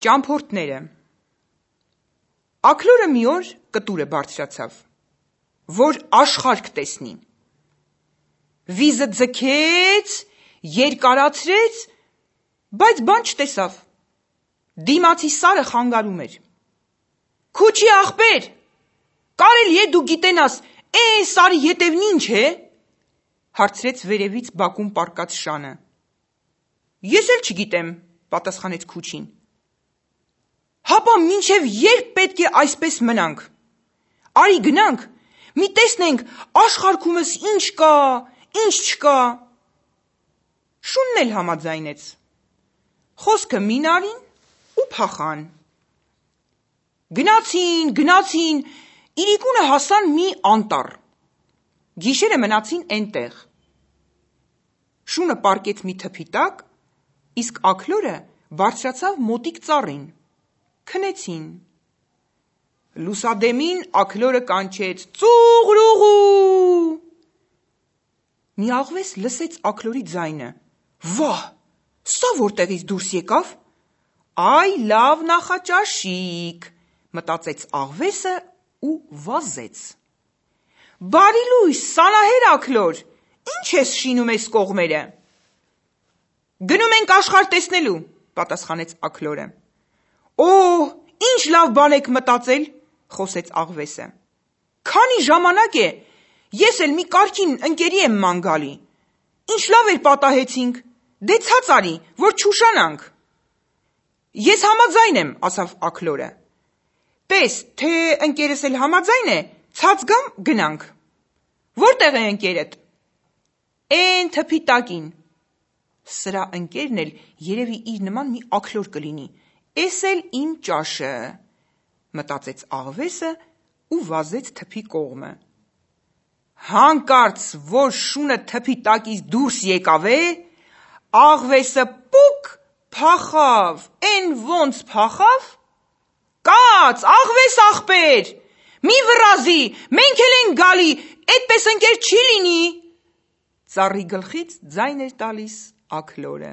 Ճամփորդները Աքլորը մի օր կտուրը բարձրացավ, որ աշխարհք տեսնի: Վիզը ձգեց, երկարացրեց, բայց բան չտեսավ: Դիմացի սարը խանգարում էր: «Քուչի ախպեր, կարելի է դու գիտենաս, էն սարի ետևն ինչ է»: հարցրեց վերևից բակում պառկած շանը: «Ես էլ չգիտեմ», պատասխանեց Քուչին: «Հապա մինչև ե՞րբ պետք է այսպես մնանք: Արի գնանք, մի տեսնենք աշխարհքումս ինչ կա, ինչ չկա»: Շունն էլ համաձայնեց: Խոսքը մին արին ու փախան: Գնացին, իրիկունը հասան մի անտառ: Գիշերը մնացին էնտեղ: Շունը պառկեց մի թփի տակ, իսկ աքլորը բարձրացավ մոտիկ ծառին: Քնեցին: Լուսադեմին աքլորը կանչեց. «Ծուղրուղու»: Մի աղվես լսեց աքլորի ձայնը: «Վահ, սա որտեղից դուրս եկավ: Այ լավ նախաճաշիկ», մտածեց աղվեսը ու վազեց: «Բարի լույս, սանահեր աքլոր, ի՞նչ ես շինում էս կողմերը»: «Գնում ենք աշխարհ տեսնելու», պատասխանեց աքլորը: «Օհ, ինչ լավ բան եք մտածել», խոսեց աղվեսը: «Քանի ժամանակ է, ես էլ մի կարգին ընկերի եմ ման գալի: Ինչ լավ էր պատահեցինք, դե ցած արի, որ չուշանանք»: «Ես համաձայն եմ», ասավ աքլորը: «Տես, թե ընկերս էլ համաձայն է, ցած գամ, գնանք»: «Որտե՞ղ է ընկերդ»: «Էն թփի տակին»: «Սրա ընկերն էլ երևի իր նման մի աքլոր կլինի, էս էլ իմ ճաշը», մտածեց աղվեսը ու վազեց թփի կողմը: Հանկարծ որ շունը թփի տակից դուրս եկավ, աղվեսը պուկ փախավ, էն ոնց փախավ: «Կաց, աղվես ախպեր, մի վռազի, մենք էլ ենք գալի, էդպես ընկեր չի լինի»: Ծառի գլխից ձայն էր տալիս աքլորը: